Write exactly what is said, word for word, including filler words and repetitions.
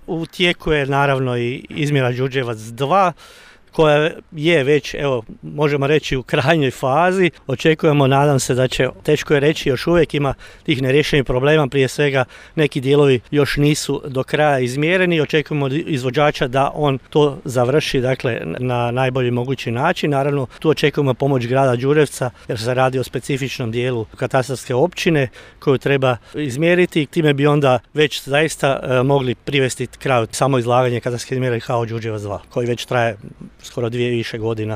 U tijeku je naravno i izmjera Đurđevac dva, koja je već, evo, možemo reći u krajnjoj fazi. Očekujemo, nadam se da će, teško je reći, još uvijek ima tih nerješenih problema, prije svega neki dijelovi još nisu do kraja izmjereni. Očekujemo izvođača da on to završi, dakle, na najbolji mogući način. Naravno, tu očekujemo pomoć grada Đurđevca jer se radi o specifičnom dijelu katastarske općine koju treba izmjeriti. Time bi onda već zaista e, mogli privesti kraju samo izlaganje katastarske izmjere H O Đurđevac dva, koji već traje skoro dvije više godina